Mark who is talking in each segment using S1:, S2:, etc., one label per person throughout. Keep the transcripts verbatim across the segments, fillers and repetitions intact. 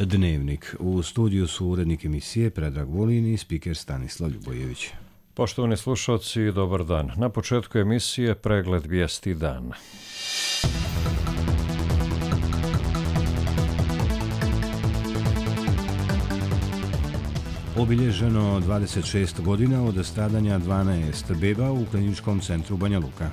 S1: Dnevnik. U studiju su urednik emisije Predrag Vulin i spiker Stanislav Ljubojević.
S2: Poštovani slušalci, dobar dan. Na početku emisije pregled vijesti dana.
S1: Obilježeno dvadeset šest godina od stradanja dvanaest beba u kliničkom centru Banja Luka.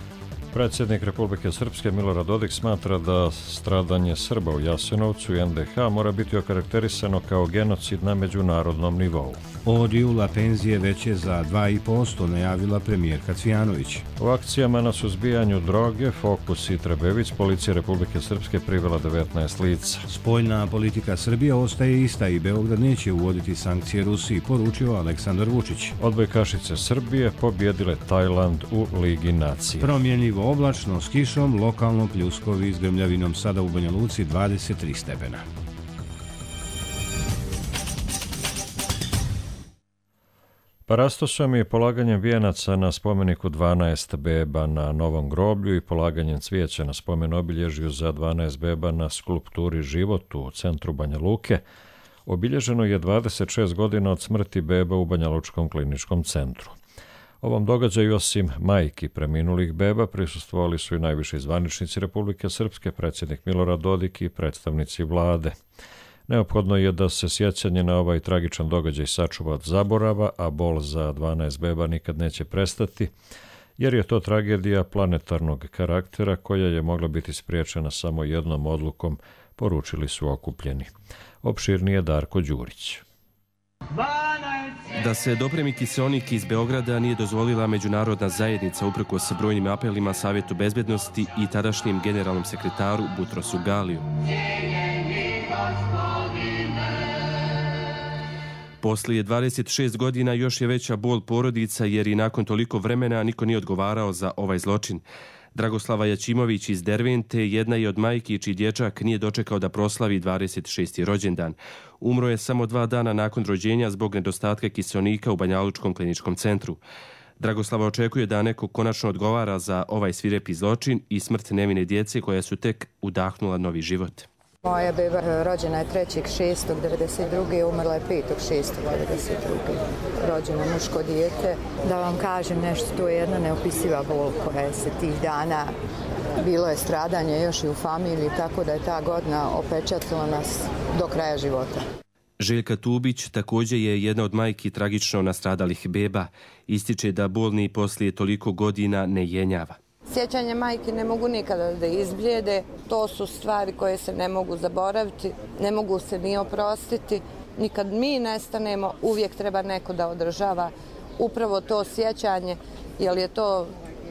S2: Predsjednik Republike Srpske Milorad Dodik smatra da stradanje Srba u Jasenovcu i en de ha mora biti okarakterisano kao genocid na međunarodnom nivou.
S1: Od jula penzije veće za dva i po posto najavila premijerka Cvijanović.
S2: U akcijama na suzbijanju droge, Fokus i Trebević, policija Republike Srpske privela devetnaest lica.
S1: Spoljna politika Srbije ostaje ista i Beograd neće uvoditi sankcije Rusiji, poručio Aleksandar Vučić.
S2: Odbojkašice Srbije pobjedile Tajland u Ligi nacija.
S1: Promjenljivo oblačno s kišom, lokalno pljuskovi s grmljavinom, sada u Banja Luci dvadeset tri stepena.
S2: Parastosom i polaganjem vijenaca na spomeniku dvanaest beba na Novom groblju i polaganjem cvijeća na spomen obilježju za dvanaest beba na skulpturi Život u centru Banja Luke obilježeno je dvadeset šest godina od smrti beba u Banjalučkom kliničkom centru. Ovom događaju osim majki preminulih beba prisustvovali su i najviši zvaničnici Republike Srpske, predsjednik Milorad Dodik i predstavnici vlade. Neophodno je da se sjećanje na ovaj tragičan događaj sačuva od zaborava, a bol za dvanaest beba nikad neće prestati, jer je to tragedija planetarnog karaktera koja je mogla biti spriječena samo jednom odlukom, poručili su okupljeni. Opširnije Darko Đurić.
S3: Da se dopremi kiseonik iz Beograda nije dozvolila međunarodna zajednica uprkos brojnim apelima Savjetu bezbednosti i tadašnjem generalnom sekretaru Butrosu Galiju. Poslije dvadeset šest godina još je veća bol porodica jer i nakon toliko vremena niko nije odgovarao za ovaj zločin. Dragoslava Jačimović iz Dervente jedna je od majki čiji dječak nije dočekao da proslavi dvadeset šesti rođendan. Umro je samo dva dana nakon rođenja zbog nedostatka kiseonika u Banjalučkom kliničkom centru. Dragoslava očekuje da neko konačno odgovara za ovaj svirepi zločin i smrt nevine djece koja su tek udahnula novi život.
S4: Moja beba rođena je trećeg šestog devedeset druge umrla je petog šestog devedeset druge rođeno muško dijete. Da vam kažem nešto, to je jedna neopisiva bol koja se tih dana, bilo je stradanje još i u familiji, tako da je ta godina opečatila nas do kraja života.
S3: Željka Tubić također je jedna od majki tragično nastradalih beba. Ističe da bolni poslije toliko godina ne jenjava.
S4: Sjećanje majke ne mogu nikada da izblijede, to su stvari koje se ne mogu zaboraviti, ne mogu se ni oprostiti. Nikad mi nestanemo, uvijek treba neko da održava upravo to sjećanje, jer je to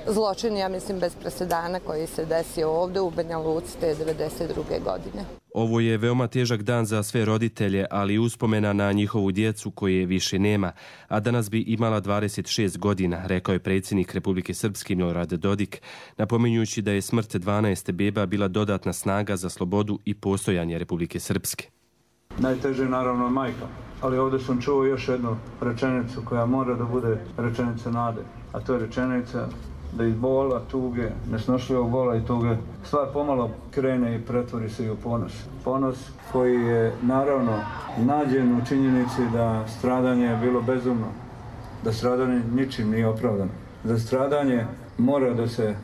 S4: zločin, ja mislim, bez presedana koji se desio ovdje u Banja Luci te devedeset druge godine.
S3: Ovo je veoma težak dan za sve roditelje, ali uspomena na njihovu djecu koje više nema, a danas bi imala dvadeset šest godina, rekao je predsjednik Republike Srpske Milorad Dodik, napominjući da je smrt dvanaest beba bila dodatna snaga za slobodu i postojanje Republike Srpske.
S5: Najteže je naravno majka, ali ovdje sam čuo još jednu rečenicu koja mora da bude rečenica nade, a to je rečenica da iz bola, tuge, nesnošljivog bola i tuge stvar pomalo krene i pretvori se i u ponos. Ponos koji je naravno nađen u činjenici da stradanje je bilo bezumno, da stradanje ničim nije opravdano. Za stradanje mora da se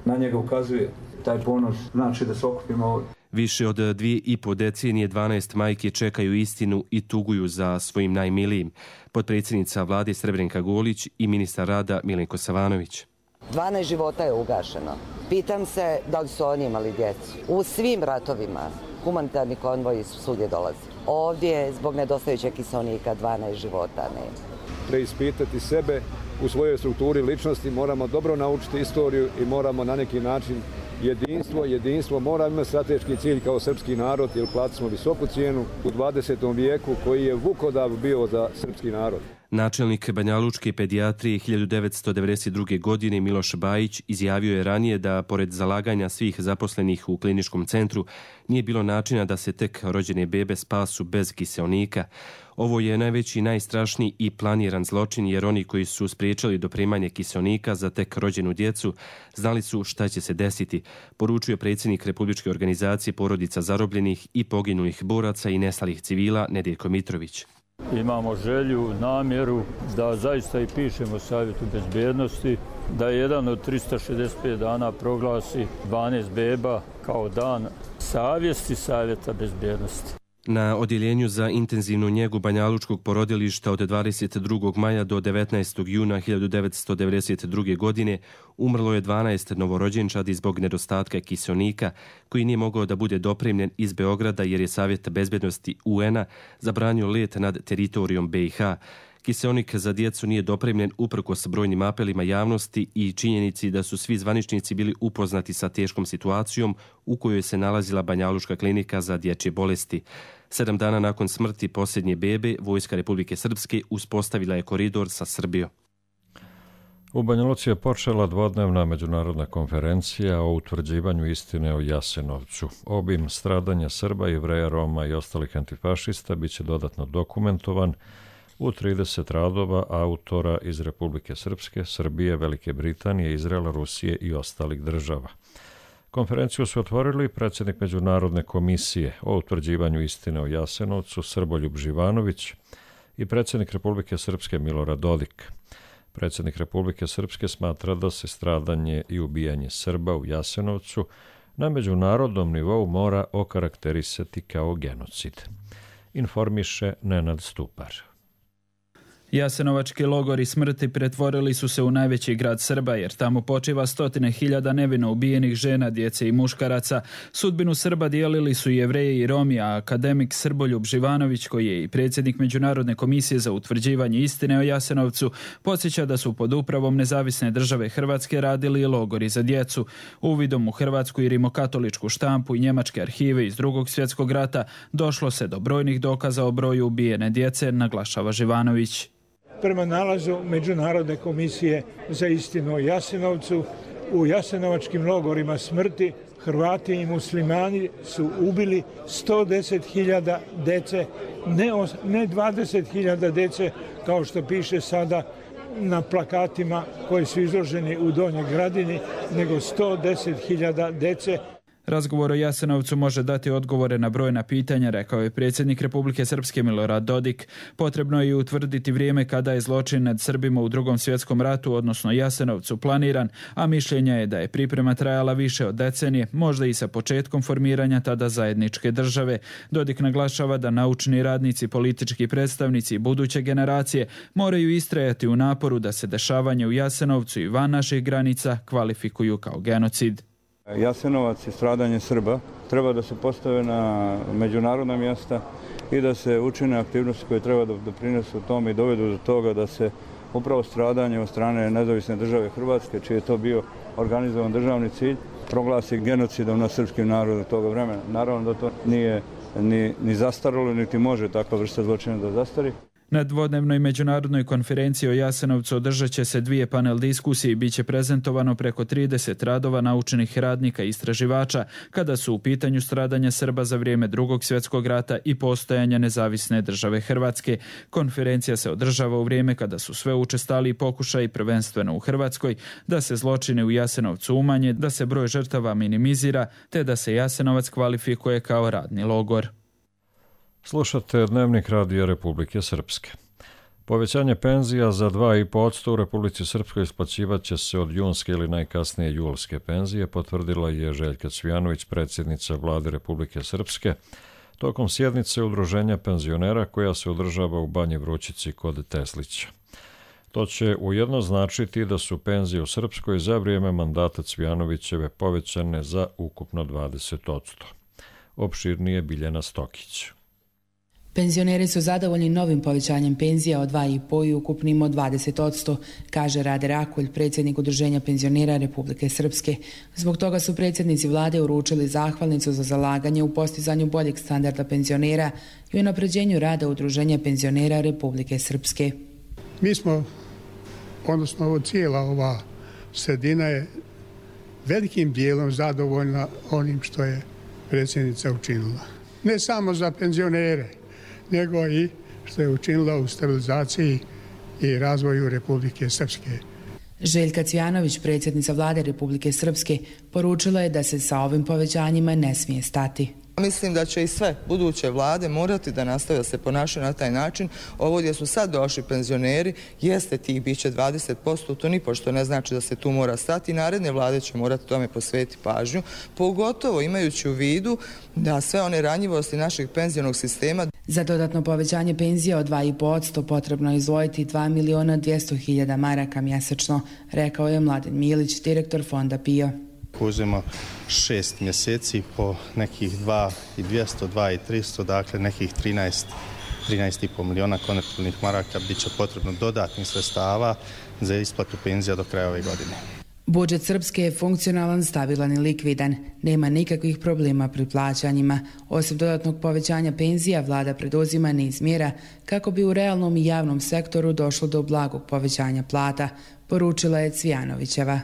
S5: na njega ukazuje. Taj ponos znači da se okupimo ovdje.
S3: Više od dvije i po decenije dvanaest majke čekaju istinu i tuguju za svojim najmilijim. Potpredsjednica vlade Srebrenka Golić i ministar rada Milenko Savanović.
S6: dvanaest života je ugašeno. Pitam se da li su oni imali djecu. U svim ratovima humanitarni konvoji su svugdje dolazi. Ovdje zbog nedostajućeg kiseonika dvanaest života nema.
S7: Preispitati sebe u svojoj strukturi ličnosti, moramo dobro naučiti istoriju i moramo na neki način jedinstvo, jedinstvo, moramo imati strateški cilj kao srpski narod, jer platili smo visoku cijenu u dvadesetom vijeku koji je vukodav bio za srpski narod.
S3: Načelnik banjalučke pedijatrije hiljadu devetsto devedeset druge. godine Miloš Bajić izjavio je ranije da, pored zalaganja svih zaposlenih u kliničkom centru, nije bilo načina da se tek rođene bebe spasu bez kiseonika. Ovo je najveći, najstrašniji i planiran zločin, jer oni koji su spriječili doprimanje kiseonika za tek rođenu djecu znali su šta će se desiti, poručio predsjednik Republičke organizacije porodica zarobljenih i poginulih boraca i nestalih civila Nedeljko Mitrović.
S8: Imamo želju, namjeru da zaista i pišemo Savjetu bezbjednosti, da jedan od tristo šezdeset pet dana proglasi dvanaest beba kao dan savjesti Savjeta bezbjednosti.
S3: Na odjeljenju za intenzivnu njegu banjalučkog porodilišta od dvadeset drugog maja do devetnaestog juna hiljadu devetsto devedeset druge. godine umrlo je dvanaest novorođenčadi zbog nedostatka kiseonika, koji nije mogao da bude dopremljen iz Beograda jer je Savjet bezbednosti U N-a zabranio let nad teritorijom B i H. Kiseonik za djecu nije dopremljen uprkos brojnim apelima javnosti i činjenici da su svi zvaničnici bili upoznati sa teškom situacijom u kojoj se nalazila Banjalučka klinika za dječje bolesti. Sedam dana nakon smrti posljednje bebe, Vojska Republike Srpske uspostavila je koridor sa Srbijom.
S2: U Banja Luci je počela dvodnevna međunarodna konferencija o utvrđivanju istine o Jasenovcu. Obim stradanja Srba, Jevreja, Roma i ostalih antifašista biće dodatno dokumentovan u trideset radova autora iz Republike Srpske, Srbije, Velike Britanije, Izraela, Rusije i ostalih država. Konferenciju su otvorili predsjednik Međunarodne komisije o utvrđivanju istine o Jasenovcu Srboljub Živanović i predsjednik Republike Srpske Milorad Dodik. Predsjednik Republike Srpske smatra da se stradanje i ubijanje Srba u Jasenovcu na međunarodnom nivou mora okarakterisati kao genocid. Informiše Nenad Stupar.
S9: Jasenovački logori smrti pretvorili su se u najveći grad Srba, jer tamo počiva stotine hiljada nevino ubijenih žena, djece i muškaraca. Sudbinu Srba dijelili su i Jevreji i Romi, a akademik Srboljub Živanović, koji je i predsjednik Međunarodne komisije za utvrđivanje istine o Jasenovcu, podsjeća da su pod upravom Nezavisne države Hrvatske radili i logori za djecu. Uvidom u hrvatsku i rimokatoličku štampu i njemačke arhive iz Drugog svjetskog rata došlo se do brojnih dokaza o broju ubijene djece, naglašava Živanović.
S10: Prema nalazu Međunarodne komisije za istinu o Jasenovcu, u jasenovačkim logorima smrti Hrvati i muslimani su ubili sto deset hiljada dece, ne, ne dvadeset hiljada dece kao što piše sada na plakatima koji su izloženi u Donjoj Gradini, nego sto deset hiljada dece.
S9: Razgovor o Jasenovcu može dati odgovore na brojna pitanja, rekao je predsjednik Republike Srpske Milorad Dodik. Potrebno je i utvrditi vrijeme kada je zločin nad Srbima u Drugom svjetskom ratu, odnosno Jasenovcu, planiran, a mišljenja je da je priprema trajala više od decenije, možda i sa početkom formiranja tada zajedničke države. Dodik naglašava da naučni radnici, politički predstavnici i buduće generacije moraju istrajati u naporu da se dešavanje u Jasenovcu i van naših granica kvalifikuju kao genocid.
S11: Jasenovac i stradanje Srba treba da se postave na međunarodna mjesta i da se učine aktivnosti koje treba da doprinesu tome i dovedu do toga da se upravo stradanje od strane Nezavisne države Hrvatske, čiji je to bio organizovan državni cilj, proglasi genocidom nad srpskim narodom toga vremena. Naravno da to nije ni, ni zastaralo, niti može takva vrsta zločina da zastari.
S9: Na dvodnevnoj međunarodnoj konferenciji o Jasenovcu održat će se dvije panel diskusije i bit će prezentovano preko trideset radova naučenih radnika i istraživača kada su u pitanju stradanja Srba za vrijeme Drugog svjetskog rata i postojanja Nezavisne države Hrvatske. Konferencija se održava u vrijeme kada su sve učestaliji pokušaji, prvenstveno u Hrvatskoj, da se zločini u Jasenovcu umanje, da se broj žrtava minimizira, te da se Jasenovac kvalifikuje kao radni logor.
S2: Slušate Dnevnik Radija Republike Srpske. Povećanje penzija za dva i po posto u Republici Srpskoj isplaćivat će se od junske ili najkasnije julske penzije, potvrdila je Željka Cvijanović, predsjednica Vlade Republike Srpske, tokom sjednice Udruženja penzionera koja se održava u Banji Vrućici kod Teslića. To će ujedno značiti da su penzije u Srpskoj za vrijeme mandata Cvijanovićeve povećane za ukupno dvadeset posto. Opširnije Biljana Stokić.
S12: Penzioneri su zadovoljni novim povećanjem penzija od dva i po posto i ukupnim od dvadeset posto, kaže Rade Rakulj, predsjednik Udruženja penzionera Republike Srpske. Zbog toga su predsjednici vlade uručili zahvalnicu za zalaganje u postizanju boljeg standarda penzionera i unapređenju rada Udruženja penzionera Republike Srpske.
S13: Mi smo, odnosno ovo cijela ova sredina je velikim dijelom zadovoljna onim što je predsjednica učinila. Ne samo za penzionere, nego i što je učinila u stabilizaciji i razvoju Republike Srpske.
S12: Željka Cvjanović, predsjednica vlade Republike Srpske, poručila je da se sa ovim povećanjima ne smije stati.
S14: Mislim da će i sve buduće vlade morati da nastave da se ponašaju na taj način. Ovo gdje su sad došli penzioneri, jeste tih biće dvadeset posto, to nipošto ne znači da se tu mora stati. Naredne vlade će morati tome posvetiti pažnju, pogotovo imajući u vidu da sve one ranjivosti našeg penzionog sistema.
S12: Za dodatno povećanje penzija od dva i po posto potrebno je izdvojiti dva miliona dvjesto hiljada maraka mjesečno, rekao je Mladen Milić, direktor fonda P I O.
S15: Uzmemo šest mjeseci po nekih dva i dvjesto, dva i tristo, dakle nekih trinaest, trinaest i po miliona konvertibilnih maraka bit će potrebno dodatnih sredstava za isplatu penzija do kraja ove godine.
S12: Budžet Srpske je funkcionalan, stabilan i likvidan. Nema nikakvih problema pri plaćanjima. Osim dodatnog povećanja penzija, vlada preduzima niz mjera kako bi u realnom i javnom sektoru došlo do blagog povećanja plata, poručila je Cvjanovićeva.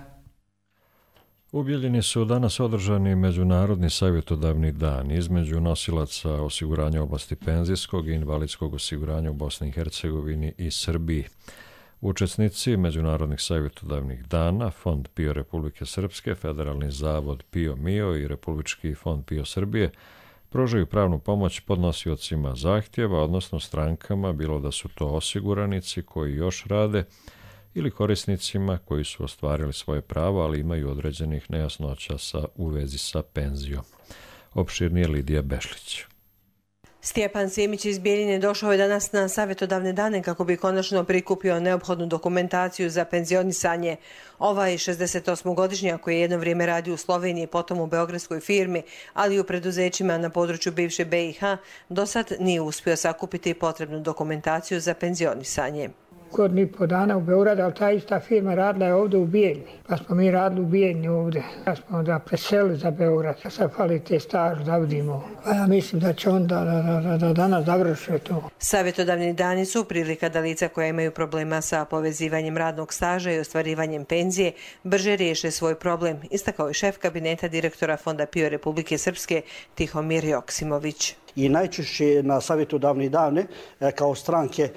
S2: U Bijeljini su danas održani Međunarodni savjetodavni dan između nosilaca osiguranja u oblasti penzijskog i invalidskog osiguranja u Bosni i Hercegovini i Srbiji. Učesnici Međunarodnih savjetodavnih dana, Fond P I O Republike Srpske, Federalni zavod P I O M I O i Republički fond P I O Srbije pružaju pravnu pomoć podnosiocima zahtjeva, odnosno strankama, bilo da su to osiguranici koji još rade ili korisnicima koji su ostvarili svoje pravo, ali imaju određenih nejasnoća sa, u vezi sa penzijom. Opširnije Lidija Bešlić.
S16: Stjepan Simić iz Bijeljine došao je danas na savjetodavne dane kako bi konačno prikupio neophodnu dokumentaciju za penzionisanje. Ovaj šezdesetosmogodišnjak koji je jedno vrijeme radio u Sloveniji, potom u beogradskoj firmi, ali i u preduzećima na području bivše B i H, do sad nije uspio sakupiti potrebnu dokumentaciju za penzionisanje.
S17: Godinu i po dana u Beogradu, ali ta ista firma radila je ovdje u Bijeljni. Pa smo mi radili u Bijeljni ovdje. Pa smo onda preselili za Beograd. Sad fali te staž da vidimo. Pa ja mislim da će onda da, da, da danas završuje to.
S16: Savjetodavni dani su prilika da lica koja imaju problema sa povezivanjem radnog staža i ostvarivanjem penzije brže riješe svoj problem, istakao je šef kabineta direktora Fonda P I O Republike Srpske Tihomir Joksimović.
S18: I najčešće na savjetodavne dane kao stranke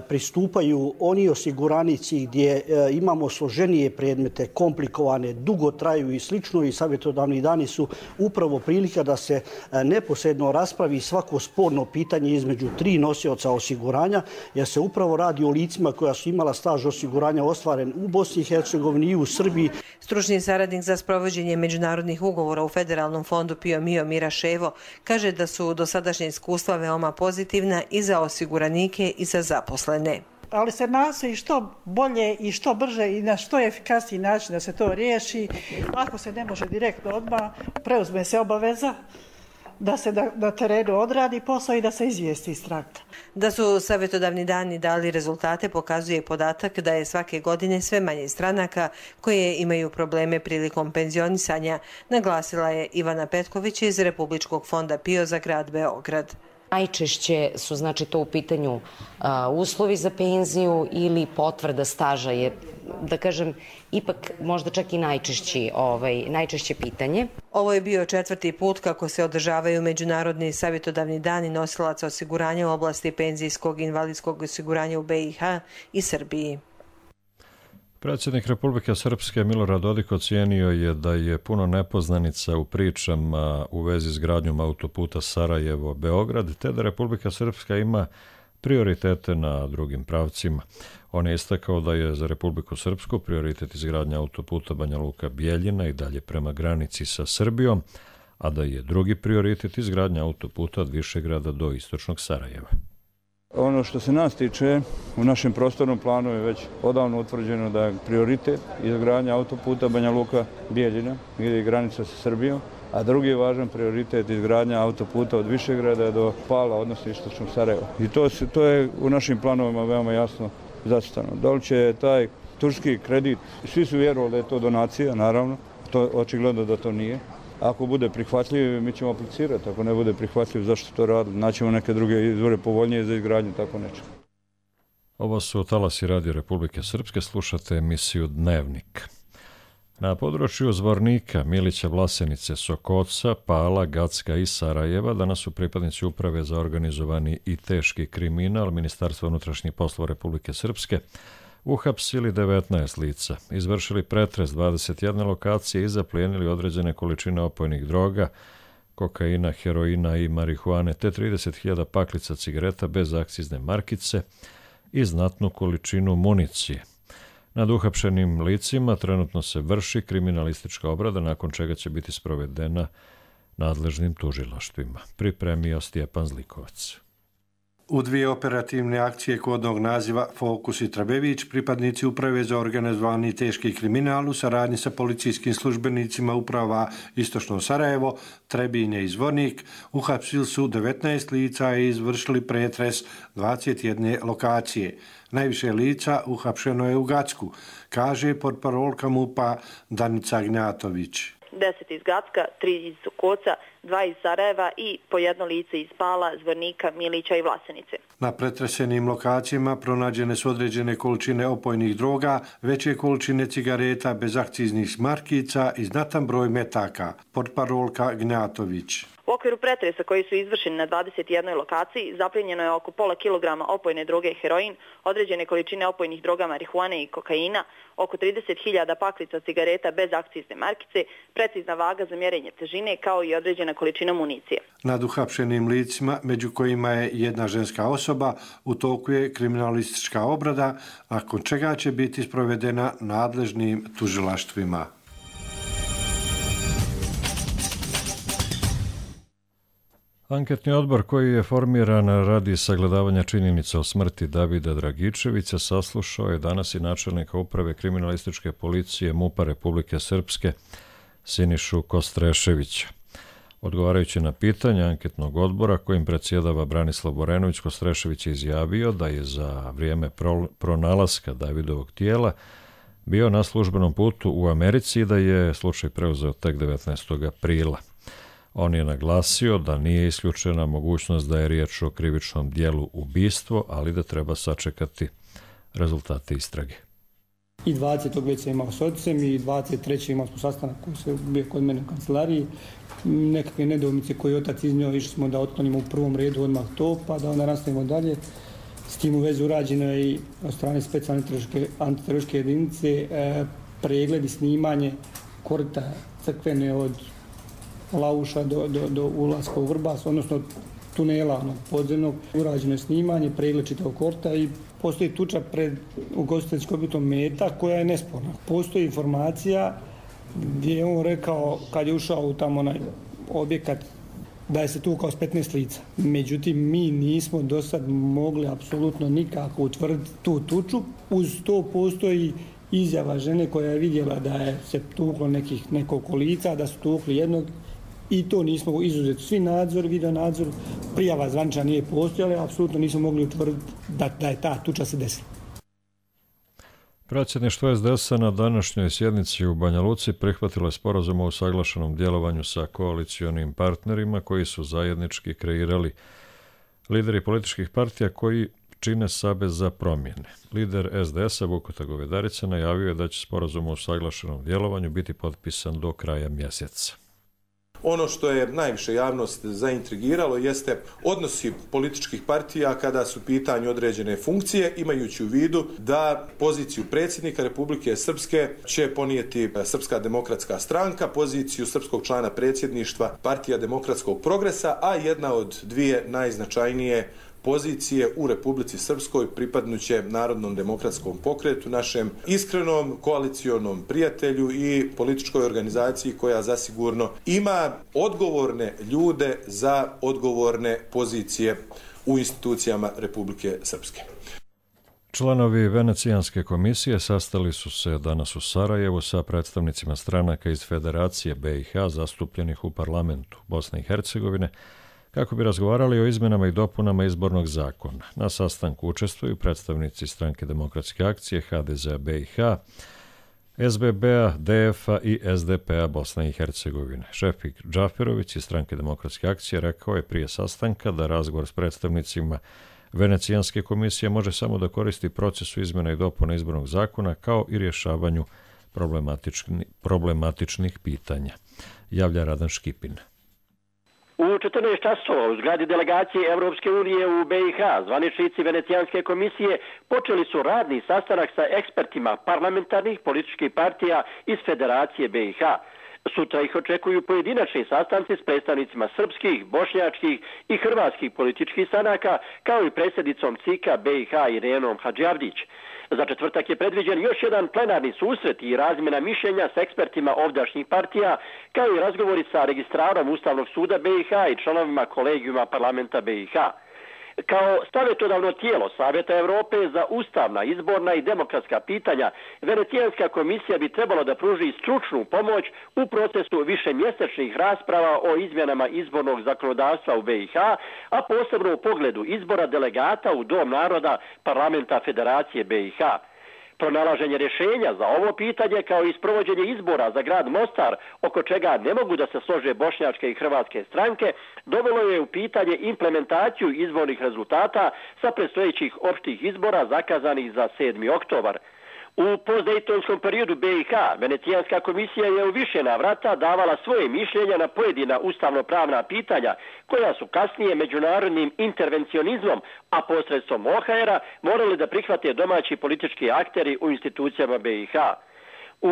S18: pristupaju oni osiguranici gdje imamo složenije predmete, komplikovane, dugo traju i slično, i savjetodavni dani su upravo prilika da se neposredno raspravi svako sporno pitanje između tri nosioca osiguranja, jer se upravo radi o licima koja su imala staž osiguranja ostvaren u Bosni i Hercegovini i u Srbiji.
S16: Stručni saradnik za sprovođenje međunarodnih ugovora u Federalnom fondu P I O M I O Mira Ševo kaže da su do sadašnje iskustva veoma pozitivna i za osiguranike i za zaposlene.
S19: Ali se nastoji što bolje i što brže i na što efikasniji način da se to riješi. Ako se ne može direktno odmah, preuzme se obaveza da se na, na terenu odradi posao i da se izvijesti stranka.
S16: Da su savjetodavni dani dali rezultate pokazuje podatak da je svake godine sve manje stranaka koje imaju probleme prilikom penzionisanja, naglasila je Ivana Petković iz Republičkog fonda P I O za grad Beograd.
S20: Najčešće su znači to u pitanju a, uslovi za penziju ili potvrda staža je, da kažem, ipak možda čak i najčešći, ovaj, najčešće pitanje.
S16: Ovo je bio četvrti put kako se održavaju Međunarodni savjetodavni dani nosilaca osiguranja u oblasti penzijskog i invalidskog osiguranja u B i H i Srbiji.
S2: Predsjednik Republike Srpske Milorad Dodik ocijenio je da je puno nepoznanica u pričama u vezi s gradnjom autoputa Sarajevo-Beograd, te da Republika Srpska ima prioritete na drugim pravcima. On je istakao da je za Republiku Srpsku prioritet izgradnja autoputa Banja Luka-Bijeljina i dalje prema granici sa Srbijom, a da je drugi prioritet izgradnja autoputa od Višegrada do istočnog Sarajeva.
S11: Ono što se nas tiče, u našem prostornom planu je već odavno utvrđeno da je prioritet izgradnja autoputa Banja Luka-Bijeljina gdje je granica sa Srbijom, a drugi je važan prioritet izgradnja autoputa od Višegrada do Pala, odnosno istočnog Sarajeva. I to, se, to je u našim planovima veoma jasno zacrtano. Da li će taj turski kredit, svi su vjerovali da je to donacija, naravno, to očigledno da to nije. Ako bude prihvatljiv, mi ćemo aplicirati. Ako ne bude prihvatljiv, zašto to raditi? Naćemo neke druge izvore povoljnije za izgradnju tako nečega.
S2: Ovo su talasi Radio Republike Srpske, slušate emisiju Dnevnik. Na području Zvornika, Milića, Vlasenice, Sokoca, Pala, Gacka i Sarajeva danas su pripadnici Uprave za organizovani i teški kriminal Ministarstva unutrašnjih poslova Republike Srpske uhapsili devetnaest lica, izvršili pretres dvadeset jedne lokacije i zaplijenili određene količine opojnih droga, kokaina, heroina i marihuane, te trideset hiljada paklica cigareta bez akcizne markice i znatnu količinu municije. Nad uhapšenim licima trenutno se vrši kriminalistička obrada, nakon čega će biti sprovedena nadležnim tužilaštvima. Pripremio Stjepan Zlikovac.
S21: U dvije operativne akcije kodnog naziva Fokus i Trabević, pripadnici Uprave za organizovani i teški kriminal u saradnji sa policijskim službenicima uprava Istočno Sarajevo, Trebinje i Zvornik uhapsili su devetnaest lica i izvršili pretres dvadeset jedne lokacije. Najviše lica uhapšeno je u Gacku, kaže portparolka MUP-a Danica Gnjatović.
S22: deset iz Gacka, tri iz Sokoca, dva iz Sarajeva i po jedno lice iz Pala, Zvornika, Milića i Vlasenice.
S21: Na pretresenim lokacijama pronađene su određene količine opojnih droga, veće količine cigareta bez akciznih markica i znatan broj metaka, portparolka Gnjatović.
S22: U okviru pretresa koji su izvršeni na dvadeset jednoj lokaciji zaplijenjeno je oko pola kilograma opojne droge heroin, određene količine opojnih droga marihuane i kokaina, oko trideset hiljada paklica cigareta bez akcizne markice, precizna vaga za mjerenje težine kao i određena količina municije.
S21: Nad uhapšenim licima, među kojima je jedna ženska osoba, u toku je kriminalistička obrada, nakon čega će biti sprovedena nadležnim tužilaštvima.
S2: Anketni odbor koji je formiran radi sagledavanja činjenica o smrti Davida Dragičevića saslušao je danas i načelnika Uprave kriminalističke policije MUP-a Republike Srpske Sinišu Kostreševića. Odgovarajući na pitanje anketnog odbora kojim predsjedava Branislav Borenović, Kostrešević je izjavio da je za vrijeme pronalaska Davidovog tijela bio na službenom putu u Americi i da je slučaj preuzeo tek devetnaestog aprila. On je naglasio da nije isključena mogućnost da je riječ o krivičnom dijelu ubistvo, ali da treba sačekati rezultate istrage.
S23: I dvadesetog već sam imao s ocem i dvadeset trećeg imao smo sastanak koji se bio kod mene u kancelariji. Nekakve nedoumice koje je otac iznio, išli smo da otklonimo u prvom redu odmah to, pa da onda nastavimo dalje. S tim u vezi urađeno je i od strane specijalne antiterorističke jedinice e, pregled i snimanje korita crkvene od Lauša do, do, do ulaska u Vrbas, odnosno tunela onog podzemnog. Urađeno je snimanje, pregled čitavog korta i postoji tuča pred ugostiteljskim objektom Meta koja je nesporna. Postoji informacija gdje je on rekao kad je ušao u tamo onaj objekat da je se tukao s petnaest lica. Međutim, mi nismo do sad mogli apsolutno nikako utvrditi tu tuču. Uz to postoji izjava žene koja je vidjela da je se tuklo nekih nekoliko lica, da su tukli jednog i to nismo izuzeti. Svi nadzor, video nadzor, prijava zvanična nije postojala, apsolutno nismo mogli utvrditi da, da je ta tuča se desila.
S2: Predsjedništvo es de es-a na današnjoj sjednici u Banja Luci prihvatilo je sporazum o usaglašenom djelovanju sa koalicionim partnerima koji su zajednički kreirali lideri političkih partija koji čine Savez za promjene. Lider es de es-a Vukota Govedarica najavio je da će sporazum o usaglašenom djelovanju biti potpisan do kraja mjeseca.
S24: Ono što je najviše javnost zaintrigiralo jeste odnosi političkih partija kada su pitanju određene funkcije, imajući u vidu da poziciju predsjednika Republike Srpske će ponijeti Srpska demokratska stranka, poziciju srpskog člana predsjedništva Partija demokratskog progresa, a jedna od dvije najznačajnije pozicije u Republici Srpskoj pripadnuće Narodnom demokratskom pokretu, našem iskrenom koalicionom prijatelju i političkoj organizaciji koja zasigurno ima odgovorne ljude za odgovorne pozicije u institucijama Republike Srpske.
S2: Članovi Venecijanske komisije sastali su se danas u Sarajevu sa predstavnicima stranaka iz Federacije be i ha zastupljenih u parlamentu Bosne i Hercegovine, kako bi razgovarali o izmjenama i dopunama izbornog zakona. Na sastanku učestvuju predstavnici Stranke demokratske akcije, ha de ze a be i ha, es be be-a, de ef-a i es de pe-a Bosne i Hercegovine. Šefik Džaferović iz Stranke demokratske akcije rekao je prije sastanka da razgovor s predstavnicima Venecijanske komisije može samo da koristi procesu izmjena i dopuna izbornog zakona kao i rješavanju problematični, problematičnih pitanja, javlja Radan Škipin.
S1: U četrnaest časova u zgradi delegacije Evropske unije u B i H zvaničnici Venecijanske komisije počeli su radni sastanak sa ekspertima parlamentarnih političkih partija iz Federacije B i H. Sutra ih očekuju pojedinačni sastanci s predstavnicima srpskih, bošnjačkih i hrvatskih političkih stranaka, kao i predsjednicom C I K-a B i H Irenom Hadžiavdić. Za četvrtak je predviđen još jedan plenarni susret i razmjena mišljenja s ekspertima ovdašnjih partija, kao i razgovori sa registrarom Ustavnog suda B i H i članovima kolegijuma parlamenta B i H. Kao savjetodavno tijelo Savjeta Europe za ustavna, izborna i demokratska pitanja, Venecijanska komisija bi trebalo da pruži stručnu pomoć u procesu višemjesečnih rasprava o izmjenama izbornog zakonodavstva u B i H, a posebno u pogledu izbora delegata u Dom naroda parlamenta Federacije B i H. Pronalaženje rješenja za ovo pitanje kao i sprovođenje izbora za grad Mostar, oko čega ne mogu da se slože bošnjačke i hrvatske stranke, dovelo je u pitanje implementaciju izbornih rezultata sa predstojećih opštih izbora zakazanih za sedmi oktobar. U postdejtonskom periodu B i H Venecijanska komisija je u više navrata davala svoje mišljenja na pojedina ustavno-pravna pitanja, koja su kasnije međunarodnim intervencionizmom, a posredstvom O H R-a morali da prihvate domaći politički akteri u institucijama B i H.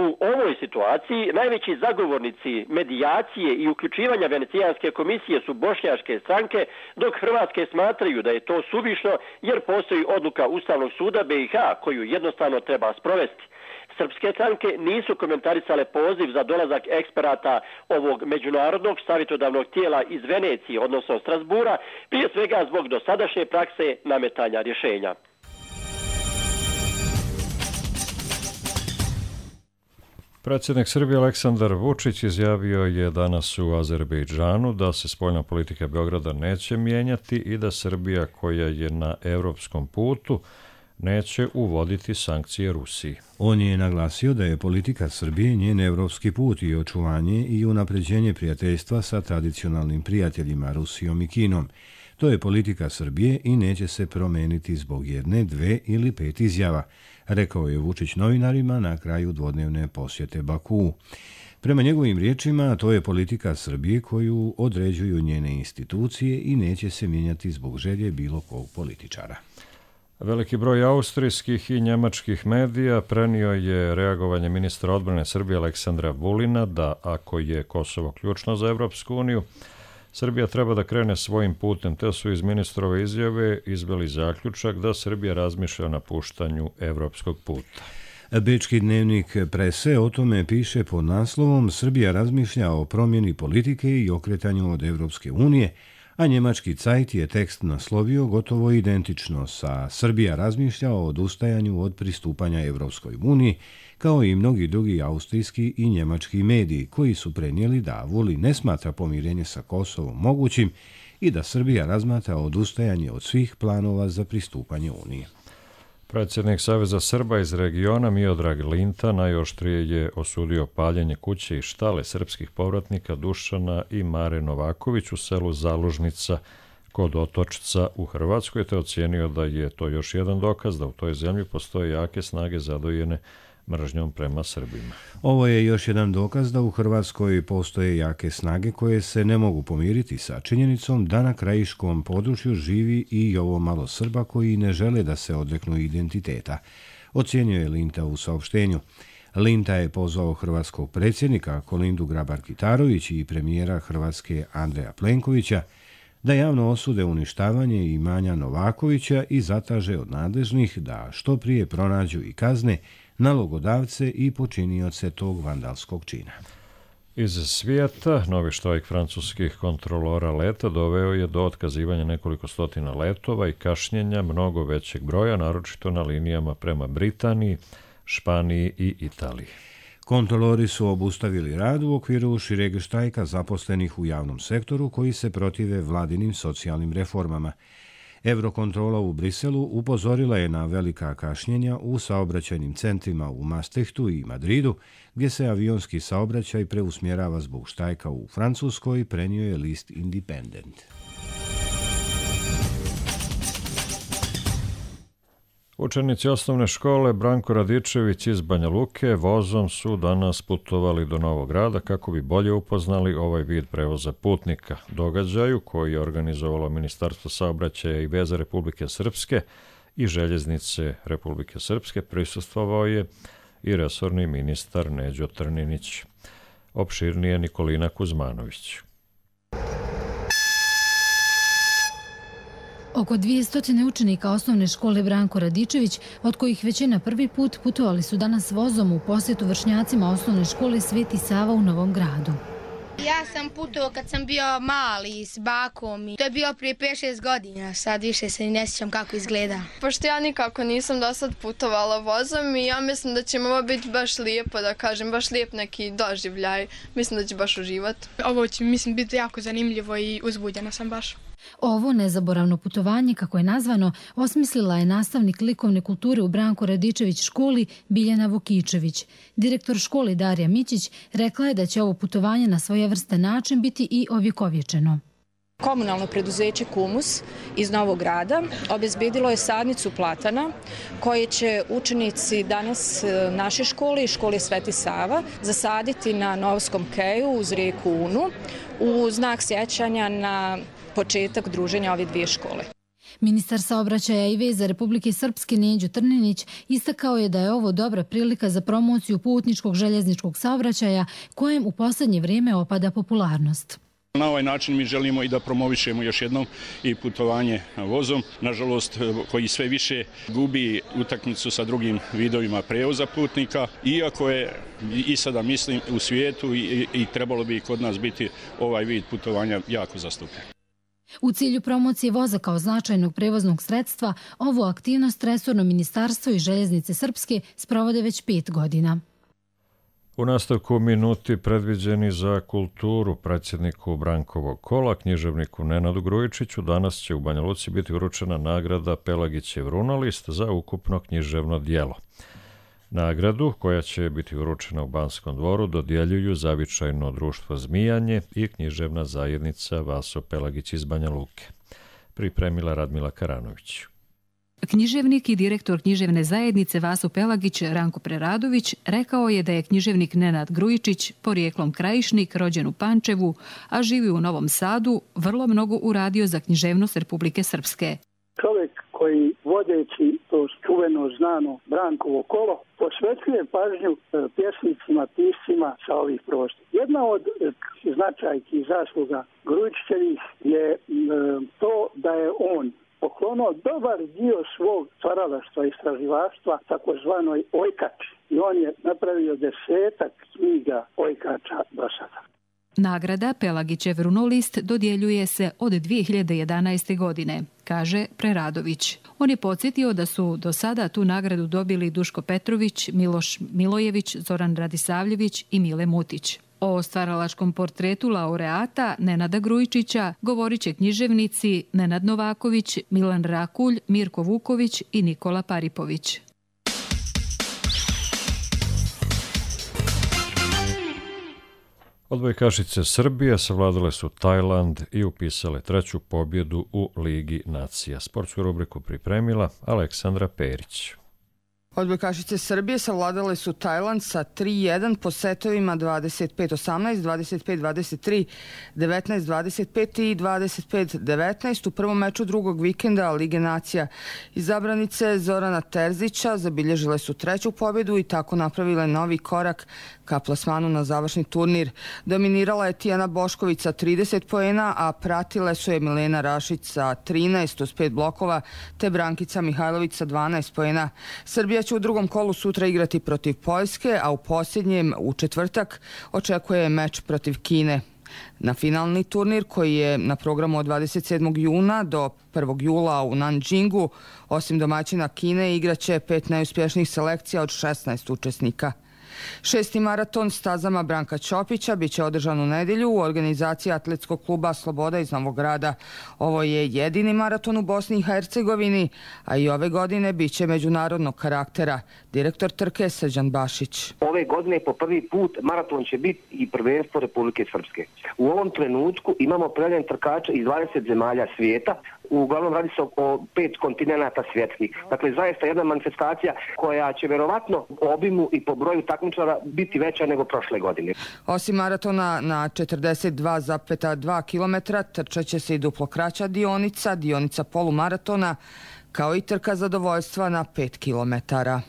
S1: U ovoj situaciji najveći zagovornici medijacije i uključivanja Venecijanske komisije su bošnjačke stranke, dok Hrvatske smatraju da je to suvišno jer postoji odluka Ustavnog suda B i H koju jednostavno treba sprovesti. Srpske stranke nisu komentarisale poziv za dolazak eksperata ovog međunarodnog savjetodavnog tijela iz Venecije, odnosno Strasbura, prije svega zbog dosadašnje prakse nametanja rješenja.
S2: Predsjednik Srbije Aleksandar Vučić izjavio je danas u Azerbejdžanu da se spoljna politika Beograda neće mijenjati i da Srbija, koja je na europskom putu, neće uvoditi sankcije Rusiji.
S4: On je naglasio da je politika Srbije njen evropski put i očuvanje i unapređenje prijateljstva sa tradicionalnim prijateljima Rusijom i Kinom. To je politika Srbije i neće se promeniti zbog jedne, dve ili pet izjava, rekao je Vučić novinarima na kraju dvodnevne posjete Bakuu. Prema njegovim riječima, to je politika Srbije koju određuju njene institucije i neće se mijenjati zbog želje bilo kog političara.
S2: Veliki broj austrijskih i njemačkih medija prenio je reagovanje ministra odbrane Srbije Aleksandra Vulina da ako je Kosovo ključno za Evropsku uniju, Srbija treba da krene svojim putem, te su iz ministrove izjave izveli zaključak da Srbija razmišlja o napuštanju evropskog puta.
S4: Bečki dnevnik Prese o tome piše pod naslovom Srbija razmišlja o promjeni politike i okretanju od Evropske unije, a njemački Zeit je tekst naslovio gotovo identično sa Srbija razmišlja o odustajanju od pristupanja Evropskoj uniji, kao i mnogi drugi austrijski i njemački mediji koji su prenijeli da Vulin ne smatra pomirenje sa Kosovom mogućim i da Srbija razmatra odustajanje od svih planova za pristupanje Uniji.
S2: Predsjednik Saveza Srba iz regiona Miodrag Linta najoštrije je osudio paljenje kuće i štale srpskih povratnika Dušana i Mare Novaković u selu Zalužnica kod Otočca u Hrvatskoj, te ocijenio da je to još jedan dokaz da u toj zemlji postoje jake snage zadojene mržnjom prema Srbima.
S4: Ovo je još jedan dokaz da u Hrvatskoj postoje jake snage koje se ne mogu pomiriti sa činjenicom da na krajiškom području živi i ovo malo Srba koji ne žele da se odreknu identiteta, ocijenio je Linta u saopštenju. Linta je pozvao hrvatskog predsjednika Kolindu Grabar-Kitarović i premijera Hrvatske Andreja Plenkovića da javno osude uništavanje imanja Novakovića i zatraže od nadležnih da što prije pronađu i kazne nalogodavce i počinioce tog vandalskog čina.
S2: Iz svijeta, novi štrajk francuskih kontrolora leta doveo je do otkazivanja nekoliko stotina letova i kašnjenja mnogo većeg broja, naročito na linijama prema Britaniji, Španiji i Italiji.
S4: Kontrolori su obustavili rad u okviru šireg štrajka zaposlenih u javnom sektoru koji se protive vladinim socijalnim reformama. Eurokontrola u Briselu upozorila je na velika kašnjenja u saobraćajnim centrima u Maastrichtu i Madridu, gdje se avionski saobraćaj preusmjerava zbog štrajka u Francuskoj, prenio je list Independent.
S2: Učenici osnovne škole Branko Radičević iz Banja Luke vozom su danas putovali do Novog Grada kako bi bolje upoznali ovaj vid prevoza putnika. Događaju koji je organizovalo Ministarstvo saobraćaja i veza Republike Srpske i Željeznice Republike Srpske prisustvovao je i resorni ministar Neđo Trninić. Opširnije Nikolina Kuzmanović.
S5: Oko dvjesto učenika osnovne škole Branko Radičević, od kojih većina prvi put, putovali su danas vozom u posjetu vršnjacima osnovne škole Sveti Sava u Novom Gradu.
S6: Ja sam putovao kad sam bio mali s bakom i to je bio prije pet šest godina, sad više se ne sjećam kako izgleda.
S7: Pošto ja nikako nisam do sad putovala vozom i ja mislim da će mi ovo biti baš lijepo, da kažem, baš lijep neki doživljaj. Mislim da će baš uživati.
S6: Ovo će, mislim, biti jako zanimljivo i uzbuđena sam baš.
S5: Ovo nezaboravno putovanje, kako je nazvano, osmislila je nastavnik likovne kulture u Branko Radičević školi Biljana Vukičević. Direktor škole Darija Mićić rekla je da će ovo putovanje na svojevrstan način biti i ovjekovječeno.
S8: Komunalno preduzeće Kumus iz Novog Grada obezbedilo je sadnicu platana koje će učenici danas naše škole i škole Sveti Sava zasaditi na Novskom keju uz rijeku Unu u znak sjećanja na početak druženja ove dvije škole.
S5: Ministar saobraćaja i veza Republike Srpske Neđo Trninić istakao je da je ovo dobra prilika za promociju putničkog željezničkog saobraćaja kojem u posljednje vrijeme opada popularnost.
S25: Na ovaj način mi želimo i da promovišemo još jednom i putovanje vozom, nažalost koji sve više gubi utakmicu sa drugim vidovima prevoza putnika, iako je i sada mislim u svijetu i, i trebalo bi kod nas biti ovaj vid putovanja jako zastupljen.
S5: U cilju promocije voza kao značajnog prevoznog sredstva, ovu aktivnost resorno ministarstvo i Željeznice Srpske sprovode već pet godina.
S2: U nastavku minuti predviđeni za kulturu predsjedniku Brankovog kola, književniku Nenadu Grujičiću, danas će u Banja Luci biti uručena nagrada Pelagićev runolist za ukupno književno djelo. Nagradu, koja će biti uručena u Banskom dvoru, dodjeljuju Zavičajno društvo Zmijanje i književna zajednica Vaso Pelagić iz Banja Luke. Pripremila Radmila Karanović.
S26: Književnik i direktor književne zajednice Vaso Pelagić Ranko Preradović rekao je da je književnik Nenad Grujičić, porijeklom krajišnik, rođen u Pančevu, a živi u Novom Sadu, vrlo mnogo uradio za književnost Republike Srpske.
S27: Čovjek koji vodeći to čuveno znano Brankovo kolo posvećuje pažnju pjesnicima, piscima sa ovih prostora. Jedna od značajki i zasluga Grujičićevih je to da je on poklonuo dobar dio svog stvaralaštva i istraživaštva takozvanoj ojkači. I on je napravio desetak knjiga ojkača do sada.
S26: Nagrada Pelagićev runolist dodjeljuje se od dvije hiljade jedanaeste. godine, kaže Preradović. On je podsjetio da su do sada tu nagradu dobili Duško Petrović, Miloš Milojević, Zoran Radisavljević i Mile Mutić. O stvaralačkom portretu laureata Nenada Grujičića govorit će književnici Nenad Novaković, Milan Rakulj, Mirko Vuković i Nikola Paripović.
S2: Odbojkašice Srbije savladale su Tajland i upisale treću pobjedu u Ligi nacija. Sportsku rubriku pripremila Aleksandra Perić.
S28: Odbojkašice Srbije savladale su Tajland sa tri jedan po setovima dvadeset pet osamnaest, dvadeset pet dvadeset tri, devetnaest dvadeset pet i dvadeset pet devetnaest u prvom meču drugog vikenda Lige nacija. Izabranice Zorana Terzića zabilježile su treću pobjedu i tako napravile novi korak ka plasmanu na završni turnir. Dominirala je Tijana Bošković sa trideset poena, a pratile su je Milena Rašić sa trinaest uz pet blokova, te Brankica Mihajlović sa dvanaest poena. Srbija će u drugom kolu sutra igrati protiv Poljske, a u posljednjem, u četvrtak, očekuje meč protiv Kine. Na finalni turnir, koji je na programu od dvadeset sedmog juna do prvog jula u Nanjingu, osim domaćina Kine, igraće pet najuspješnijih selekcija od šesnaest učesnika. Šesti maraton stazama Branka Ćopića biće održan u nedjelju u organizaciji Atletskog kluba Sloboda iz Novog Grada. Ovo je jedini maraton u Bosni i Hercegovini, a i ove godine biće međunarodnog karaktera. Direktor trke Srđan Bašić.
S29: Ove godine po prvi put maraton će biti i prvenstvo Republike Srpske. U ovom trenutku imamo prijavljene trkače iz dvadeset zemalja svijeta. uglavnom radi se o pet kontinenata svjetskih. Dakle, zaista jedna manifestacija koja će verovatno po obimu i po broju takmičara biti veća nego prošle godine.
S28: Osim maratona na četrdeset dva zarez dva kilometra trčat će se i duplo kraća dionica, dionica polumaratona, kao i trka zadovoljstva na pet kilometara.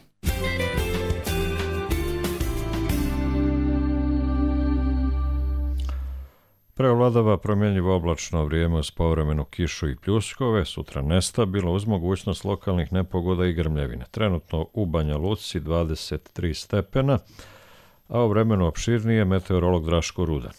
S2: Preovladava promjenjivo oblačno vrijeme uz povremenu kišu i pljuskove, sutra nestabilno uz mogućnost lokalnih nepogoda i grmljevine. Trenutno u Banja Luci dvadeset tri stepena, a o vremenu opširnije meteorolog Draško Rudan.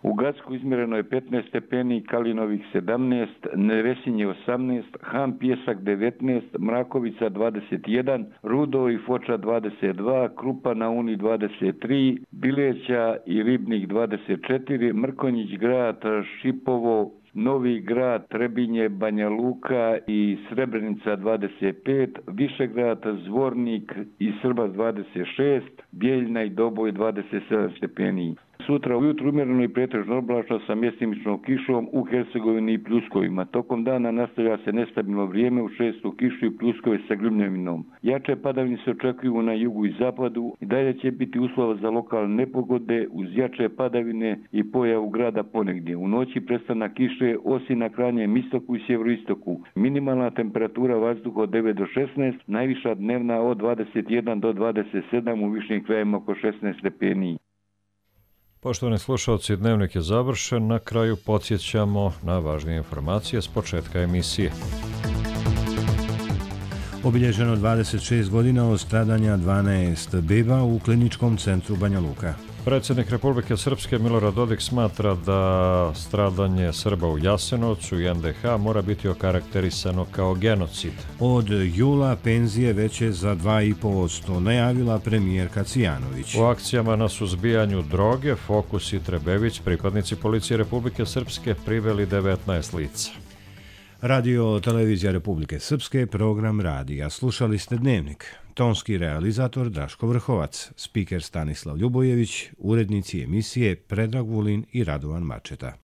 S3: U Gacku izmjereno je petnaest stepeni, Kalinovih sedamnaest, Nevesinje osamnaest, Han Pjesak devetnaest, Mrakovica dvadeset jedan, Rudo i Foča dvadeset dva, Krupa na Uni dvadeset tri, Bileća i Ribnik dvadeset četiri, Mrkonjić grad, Šipovo, Novi grad, Trebinje, Banja Luka i Srebrenica dvadeset pet, Višegrad, Zvornik i Srbas dvadeset šest, Bijeljna i Doboj dvadeset sedam stepeni. Sutra ujutru umjereno i pretežno oblačno sa mjestimičnom kišom u Hercegovini i pljuskovima. Tokom dana nastavlja se nestabilno vrijeme u šestu kišu i pljuskove sa grmljavinom. Jače padavine se očekuju na jugu i zapadu i dalje će biti uslova za lokalne nepogode uz jače padavine i pojavu grada ponegdje. U noći prestanak kiše osim na krajnjem istoku i sjeveroistoku. Minimalna temperatura vazduha od devet do šesnaest, najviša dnevna od dvadeset jedan do dvadeset sedam, u višim krajima oko šesnaest stepeni.
S2: Poštovani slušalci, dnevnik je završen. Na kraju podsjećamo na važnije informacije s početka emisije.
S4: Obilježeno dvadeset šest godina od stradanja dvanaest beba u kliničkom centru Banja Luka.
S2: Predsjednik Republike Srpske Milorad Dodik smatra da stradanje Srba u Jasenovcu i en de ha mora biti okarakterisano kao genocid.
S4: Od jula penzije veće za dva i po posto, najavila premijerka Cijanović.
S2: U akcijama na suzbijanju droge Fokus i Trebević, pripadnici Policije Republike Srpske, priveli devetnaest lica.
S4: Radio Televizija Republike Srpske, program radija. Slušali ste Dnevnik. Tonski realizator Draško Vrhovac, spiker Stanislav Ljubojević, urednici emisije Predrag Vulin i Radovan Mačeta.